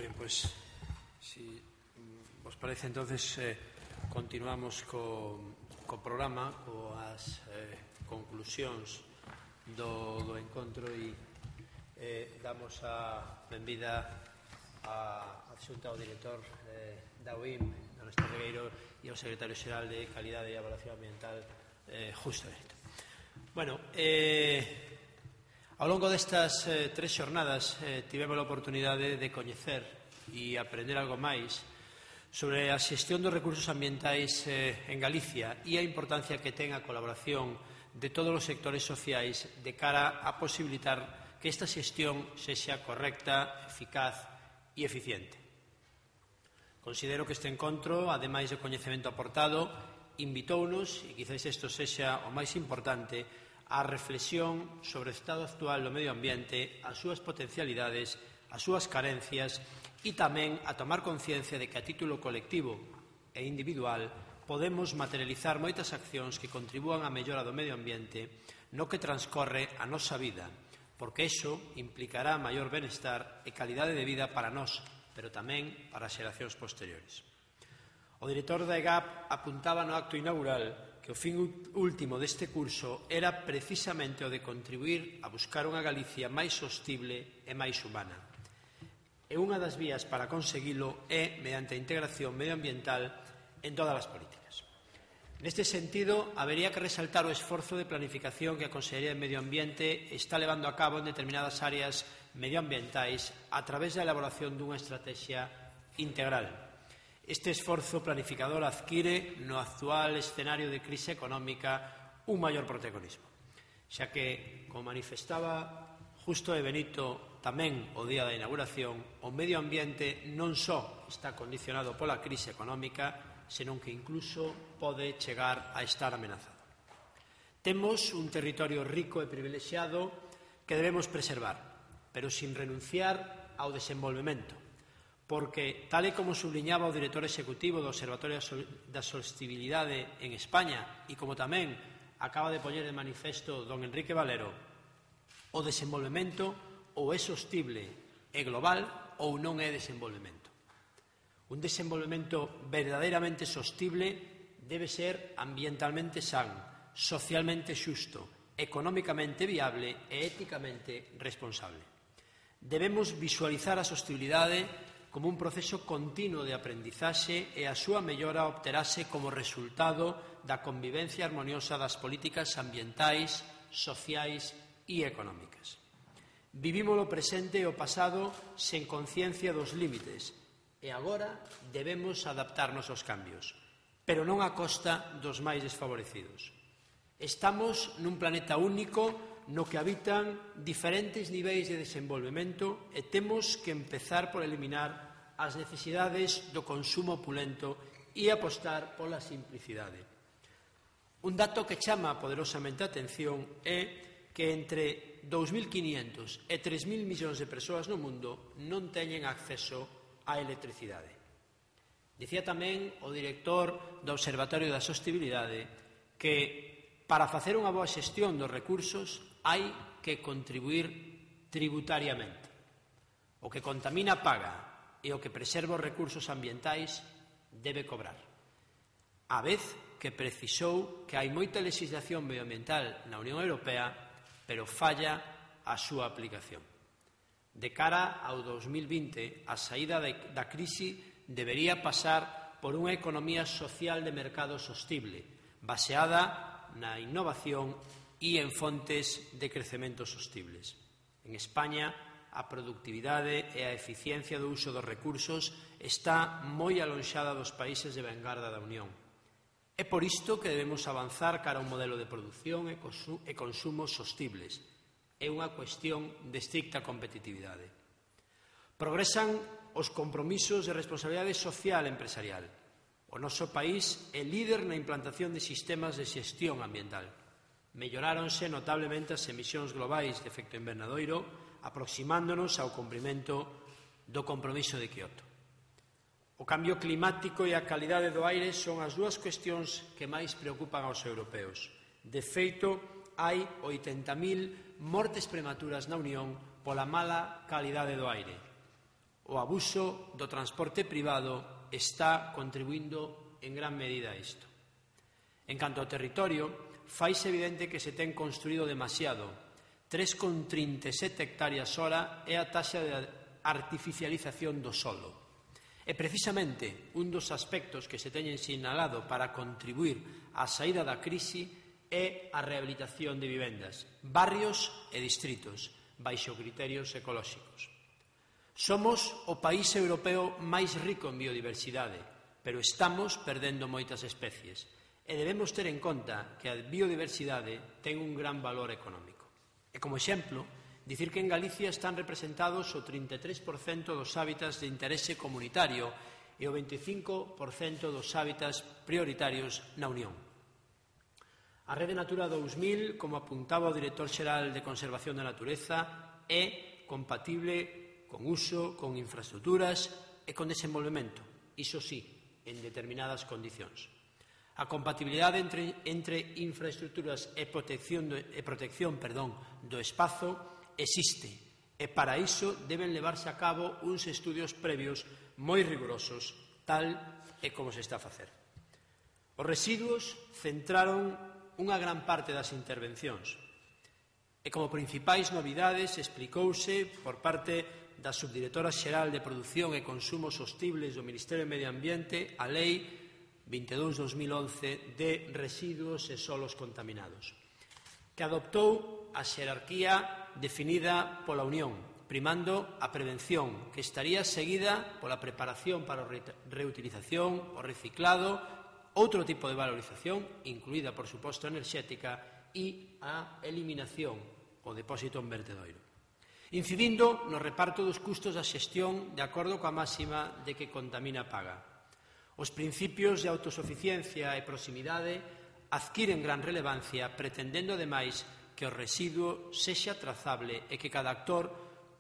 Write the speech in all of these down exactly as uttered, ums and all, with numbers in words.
Muy bien, pues si vos parece, entonces eh, continuamos co, co programa, coas eh, conclusións do, do encontro e eh, damos a benvida a adxunta ao director eh, da U I M, don Néstor Regueiro, e ao secretario xeral de Calidade e Evaluación Ambiental, eh, Justo Benito. Bueno, eh... Ao longo destas eh, tres xornadas eh, tivemos a oportunidade de coñecer e aprender algo máis sobre a xestión dos recursos ambientais eh, en Galicia e a importancia que ten a colaboración de todos os sectores sociais de cara a posibilitar que esta xestión sexa correcta, eficaz e eficiente. Considero que este encontro, ademais do coñecemento aportado, invitounos, e quizás isto sexa o máis importante, a reflexión sobre o estado actual do medio ambiente, as súas potencialidades, as súas carencias e tamén a tomar conciencia de que a título colectivo e individual podemos materializar moitas accións que contribúan á mellora do medio ambiente no que transcorre a nosa vida, porque iso implicará maior benestar e calidade de vida para nós, pero tamén para as xeracións posteriores. O director da E G A P apuntaba no acto inaugural que o fin último deste curso era precisamente o de contribuir a buscar unha Galicia máis sostible e máis humana. E unha das vías para conseguilo é mediante a integración medioambiental en todas as políticas. Neste sentido, habería que resaltar o esforzo de planificación que a Consellería de Medio Ambiente está levando a cabo en determinadas áreas medioambientais a través da elaboración dunha estrategia integral. Este esforzo planificador adquire no actual escenario de crise económica un maior protagonismo, xa que, como manifestaba Justo e Benito tamén o día da inauguración, o medio ambiente non só está condicionado pola crise económica, senón que incluso pode chegar a estar amenazado. Temos un territorio rico e privilexiado que debemos preservar, pero sin renunciar ao desenvolvemento, porque, tal e como subliñaba o director executivo do Observatorio da Sostibilidade en España e como tamén acaba de poñer de manifesto don Enrique Valero, o desenvolvemento ou é sostible e global ou non é desenvolvemento. Un desenvolvemento verdadeiramente sostible debe ser ambientalmente san, socialmente xusto, económicamente viable e éticamente responsable. Debemos visualizar a sostibilidade como un proceso continuo de aprendizaxe e a súa mellora obterase como resultado da convivencia armoniosa das políticas ambientais, sociais e económicas. Vivimos o presente e o pasado sen conciencia dos límites e agora debemos adaptarnos aos cambios, pero non a costa dos máis desfavorecidos. Estamos nun planeta único no que habitan diferentes niveis de desenvolvemento e temos que empezar por eliminar as necesidades do consumo opulento e apostar pola simplicidade. Un dato que chama poderosamente a atención é que entre dous mil quiñentos e tres mil millóns de persoas no mundo non teñen acceso á electricidade. Dicía tamén o director do Observatorio da Sostibilidade que para facer unha boa xestión dos recursos hai que contribuir tributariamente. O que contamina paga e o que preserva os recursos ambientais debe cobrar. A vez que precisou que hai moita legislación medioambiental na Unión Europea, pero falla a súa aplicación. De cara ao dos mil vinte, a saída da crise debería pasar por unha economía social de mercado sostible, baseada na innovación e en fontes de crecemento sostibles. En España, a productividade e a eficiencia do uso dos recursos está moi alonxada dos países de vanguarda da Unión. É por isto que debemos avanzar cara a un modelo de produción e consumo sostibles. É unha cuestión de estricta competitividade. Progresan os compromisos de responsabilidade social empresarial. O noso país é líder na implantación de sistemas de xestión ambiental. Melloráronse notablemente as emisións globais de efecto invernadoiro, aproximándonos ao cumprimento do compromiso de Kioto. O cambio climático e a calidade do aire son as dúas cuestións que máis preocupan aos europeos. De feito, hai oitenta mil mortes prematuras na Unión pola mala calidade do aire. O abuso do transporte privado está contribuindo en gran medida a isto. En canto ao territorio, faise evidente que se ten construído demasiado. tres coma trinta e sete hectáreas hora é a taxa de artificialización do solo. E precisamente un dos aspectos que se teñen sinalado para contribuir á saída da crise é a rehabilitación de vivendas, barrios e distritos, baixo criterios ecolóxicos. Somos o país europeo máis rico en biodiversidade, pero estamos perdendo moitas especies e debemos ter en conta que a biodiversidade ten un gran valor económico. E como exemplo, dicir que en Galicia están representados o trinta e tres por cento dos hábitats de interese comunitario e o veinticinco por cento dos hábitats prioritarios na Unión. A Rede Natura dous mil, como apuntaba o director xeral de Conservación da Natureza, é compatible con uso, con infraestructuras e con desenvolvemento, iso sí, en determinadas condicións. A compatibilidade entre, entre infraestructuras e protección, do, e protección perdón, do espazo existe e para iso deben levarse a cabo uns estudios previos moi rigurosos, tal e como se está a facer. Os residuos centraron unha gran parte das intervencións e como principais novidades explicouse por parte da Subdirectora Xeral de Produción e Consumo Sostibles do Ministerio de Medio Ambiente a Lei vinte e dous barra dos mil once de residuos e solos contaminados, que adoptou a xerarquía definida pola Unión, primando a prevención, que estaría seguida pola preparación para a reutilización, o reciclado, outro tipo de valorización, incluída, por suposto, enerxética, e a eliminación, o depósito en vertedoiro. Incidindo no reparto dos custos da xestión de acordo coa máxima de que contamina paga. Os principios de autosuficiencia e proximidade adquiren gran relevancia, pretendendo, ademais, que o residuo sexa trazable e que cada actor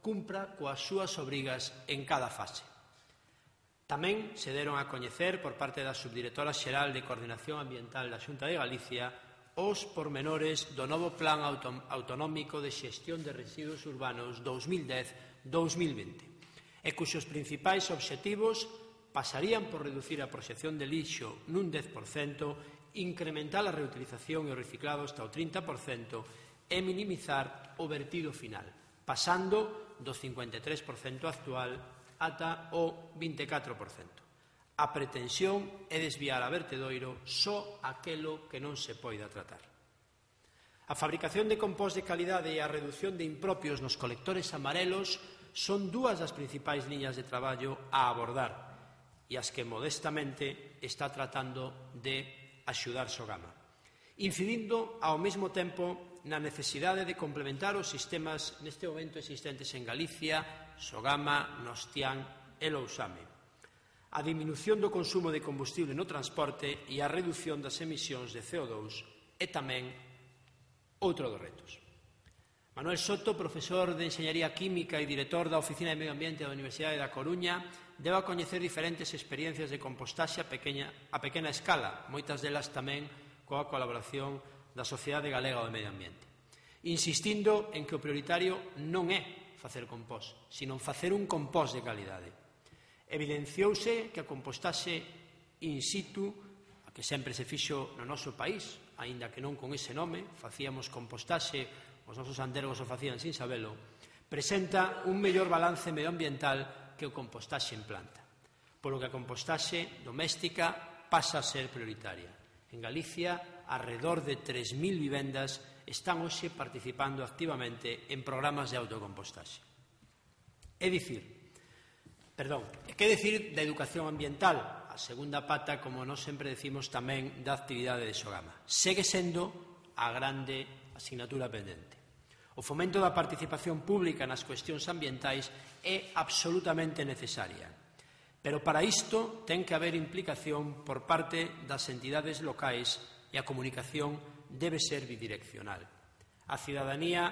cumpra coas súas obrigas en cada fase. Tamén se deron a coñecer por parte da Subdirectora Xeral de Coordinación Ambiental da Xunta de Galicia os pormenores do novo Plan Autonómico de Xestión de Residuos Urbanos dous mil dez a dous mil vinte, e cuxos principais obxectivos pasarían por reducir a proxección de lixo nun dez por cento, incrementar a reutilización e o reciclado hasta o trinta por cento e minimizar o vertido final, pasando do cincuenta e tres por cento actual ata o vinte e catro por cento. A pretensión é desviar a vertedoiro só aquelo que non se poida tratar. A fabricación de compost de calidade e a redución de impropios nos colectores amarelos son dúas das principais liñas de traballo a abordar e as que modestamente está tratando de axudar Sogama, incidindo ao mesmo tempo na necesidade de complementar os sistemas neste momento existentes en Galicia, Sogama, Nostián e Lousame, a diminución do consumo de combustible no transporte e a redución das emisións de C O dous é tamén outro dos retos. Manuel Soto, profesor de Enxeñaría Química e director da Oficina de Medio Ambiente da Universidade da Coruña, deu a coñecer diferentes experiencias de compostaxe a pequena, a pequena escala, moitas delas tamén coa colaboración da Sociedade Galega do Medio Ambiente, insistindo en que o prioritario non é facer compost, sino facer un compost de calidade. Evidenciouse que a compostaxe in situ, a que sempre se fixo no noso país, aínda que non con ese nome, facíamos compostaxe, os nosos andergos o facían sin sabelo, presenta un mellor balance medioambiental que o compostaxe en planta, polo que a compostaxe doméstica pasa a ser prioritaria. En Galicia, alrededor de tres mil vivendas están hoxe participando activamente en programas de autocompostaxe. É dicir, perdón, que decir da educación ambiental, a segunda pata, como nós sempre decimos tamén, da actividade de Sogama. Segue sendo a grande asignatura pendente. O fomento da participación pública nas cuestións ambientais é absolutamente necesaria, pero para isto ten que haber implicación por parte das entidades locais e a comunicación debe ser bidireccional. A cidadanía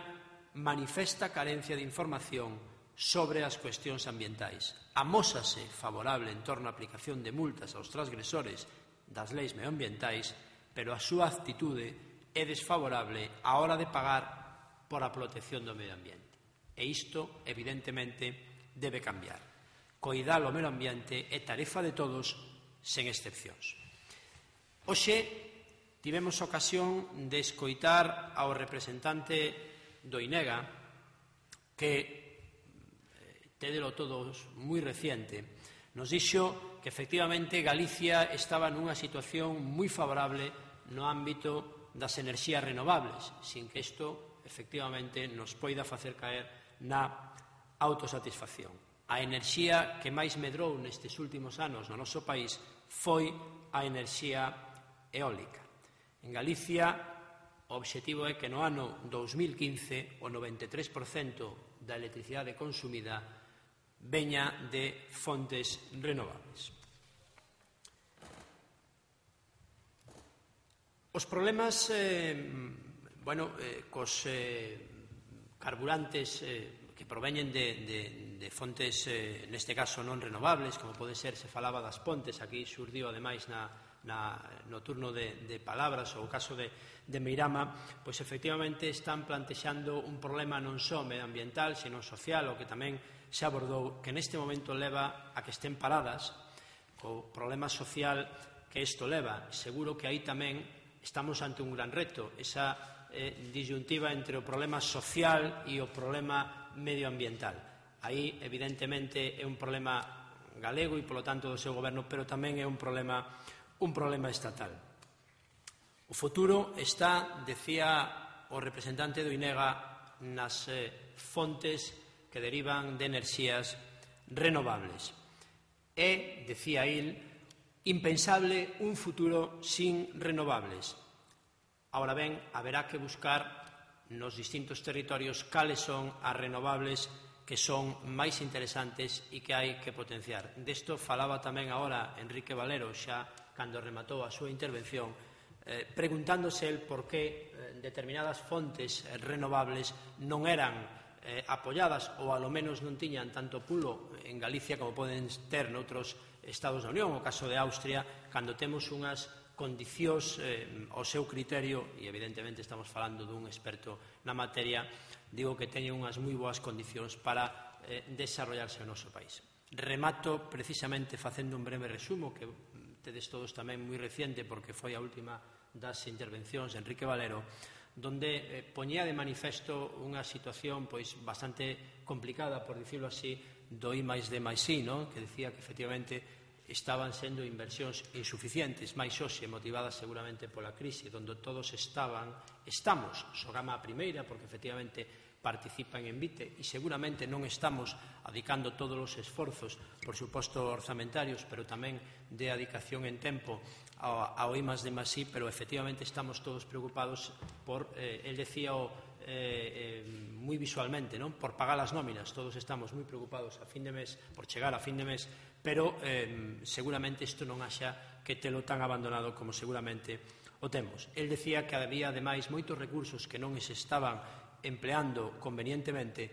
manifesta carencia de información sobre as cuestións ambientais. Amósase favorable en torno á aplicación de multas aos transgresores das leis medioambientais, pero a súa actitude é desfavorable á hora de pagar por a protección do medio ambiente. E isto, evidentemente, debe cambiar. Coidar o medio ambiente é tarefa de todos, sen excepcións. Hoxe tivemos ocasión de escoitar ao representante do INEGA, que tédelo todos moi reciente, nos dixo que efectivamente Galicia estaba nunha situación moi favorable no ámbito das enerxías renovables, sin que isto efectivamente nos poida facer caer na autosatisfacción. A enerxía que máis medrou nestes últimos anos no noso país foi a enerxía eólica. En Galicia, o obxectivo é que no ano dous mil quince o noventa e tres por cento da electricidade consumida veña de fontes renovables. Os problemas eh, bueno, eh, cos eh, carburantes eh, que proveñen de, de, de fontes, eh, neste caso non renovables, como pode ser, se falaba das pontes, aquí xurdiu ademais na, na, no turno de, de palabras, ou o caso de, de Meirama, pois efectivamente están plantexando un problema non só medioambiental, sino social, o que tamén se abordou, que neste momento leva a que estén paradas, o problema social que isto leva. Seguro que aí tamén estamos ante un gran reto, esa eh, disyuntiva entre o problema social e o problema medioambiental. Aí, evidentemente, é un problema galego e, polo tanto, do seu goberno, pero tamén é un problema, un problema estatal. O futuro está, decía o representante do INEGA, nas eh, fontes que derivan de enerxías renovables. É, decía il, impensable un futuro sin renovables. Ahora ben, haberá que buscar nos distintos territorios cales son as renovables que son máis interesantes e que hai que potenciar. Desto falaba tamén agora Enrique Valero, xa cando rematou a súa intervención, eh, preguntándose el por que eh, determinadas fontes renovables non eran Eh, apoiadas ou alo menos non tiñan tanto pulo en Galicia como poden ter noutros Estados da Unión, o caso de Austria, cando temos unhas condicións eh, ao seu criterio, e evidentemente estamos falando dun experto na materia, digo que teñen unhas moi boas condicións para eh, desarrollarse no noso país. Remato precisamente facendo un breve resumo, que tedes todos tamén moi reciente, porque foi a última das intervencións de Enrique Valero, donde eh, poñía de manifesto unha situación pois bastante complicada, por dicirlo así, do I máis D máis I, non? Que decía que efectivamente estaban sendo inversións insuficientes, máis hoxe motivadas seguramente pola crise, onde todos estaban, estamos, xogama a primeira, porque efectivamente participan en Vite, e seguramente non estamos adicando todos os esforzos, por suposto orzamentarios, pero tamén de adicación en tempo ao I máis D máis I, pero efectivamente estamos todos preocupados por, eh, el decía o, eh, eh, moi visualmente, non? Por pagar as nóminas, todos estamos moi preocupados a fin de mes, por chegar a fin de mes, pero eh, seguramente isto non haxa que telo tan abandonado como seguramente o temos. El decía que había ademais moitos recursos que non se estaban empleando convenientemente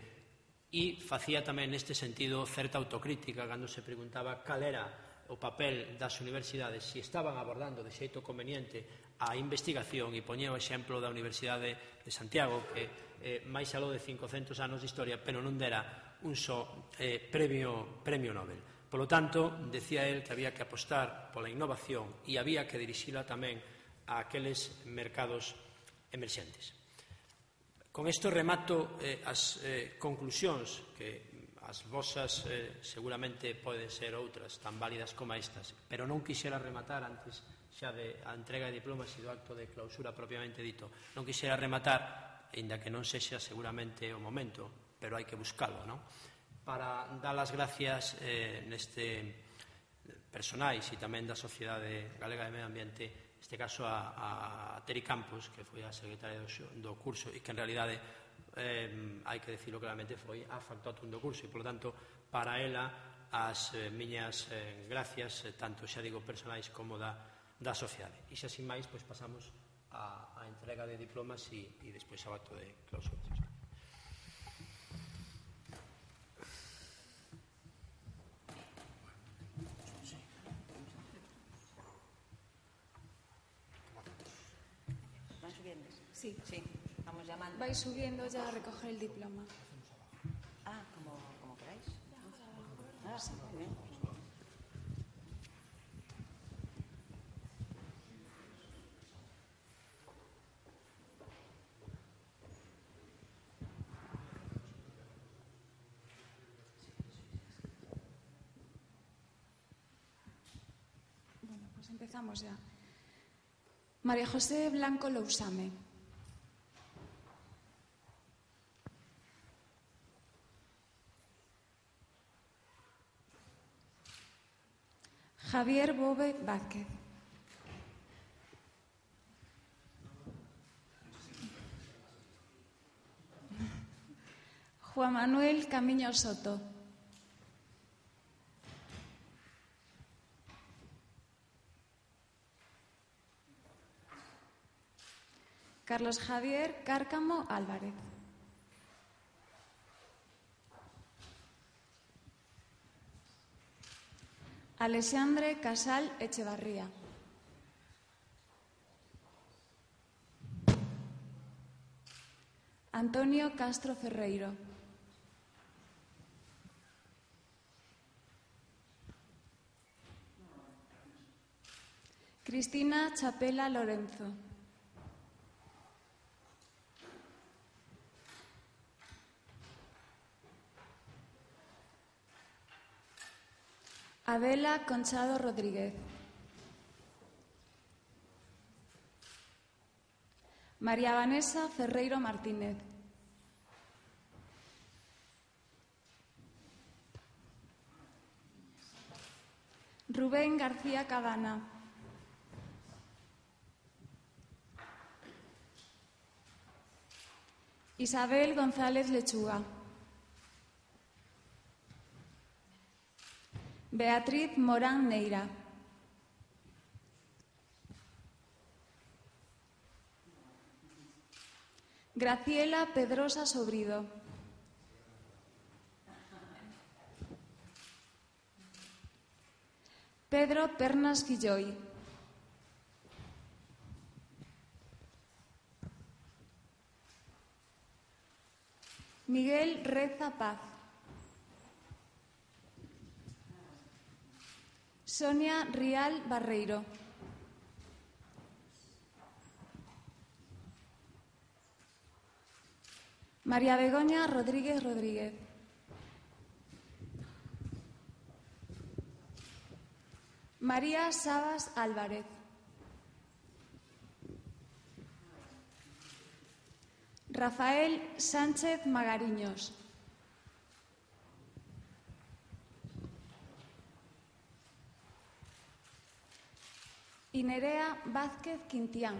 e facía tamén neste sentido certa autocrítica cando se preguntaba cal era o papel das universidades, se estaban abordando de xeito conveniente a investigación, e poñía o exemplo da Universidade de Santiago, que eh, máis aló de cincocentos anos de historia, pero non dera un só eh, premio, premio Nobel. Por lo tanto, decía él que había que apostar pola innovación e había que dirixila tamén a aqueles mercados emerxentes. Con isto remato eh, as eh, conclusións que as vosas eh, seguramente poden ser outras tan válidas como estas, pero non quixera rematar antes xa de a entrega de diplomas e do acto de clausura propiamente dito, non quixera rematar, ainda que non sexa seguramente o momento, pero hai que buscalo, non? Para dar as gracias eh, neste personais e tamén da Sociedade Galega de Medio Ambiente, neste caso a, a Teri Campos, que foi a secretaria do, do curso e que en realidade eh, hai que decirlo claramente, foi a factotum do curso e, polo tanto, para ela as eh, miñas eh, gracias, eh, tanto xa digo personais como da, da sociedade. E xa sin máis, pois pasamos a, a entrega de diplomas e, e despois ao acto de clausura. ¿Van subiendo? Sí. Sí. Vamos llamando. Vais subiendo ya a recoger el diploma. Ah, como, como queráis. Ah, Ahora sí. Bueno, pues empezamos ya. María José Blanco Lousame. Javier Bove Vázquez. Juan Manuel Camiño Soto. Carlos Javier Cárcamo Álvarez. Alexandre Casal Echevarría. Antonio Castro Ferreiro. Cristina Chapela Lorenzo. Adela Conchado Rodríguez. María Vanessa Ferreiro Martínez. Rubén García Cabana. Isabel González Lechuga. Beatriz Morán Neira. Graciela Pedrosa Sobrido. Pedro Pernas Guilloy. Miguel Reza Paz. Sonia Rial Barreiro. María Begoña Rodríguez Rodríguez. María Sabas Álvarez. Rafael Sánchez Magariños. Y Nerea Vázquez Quintián.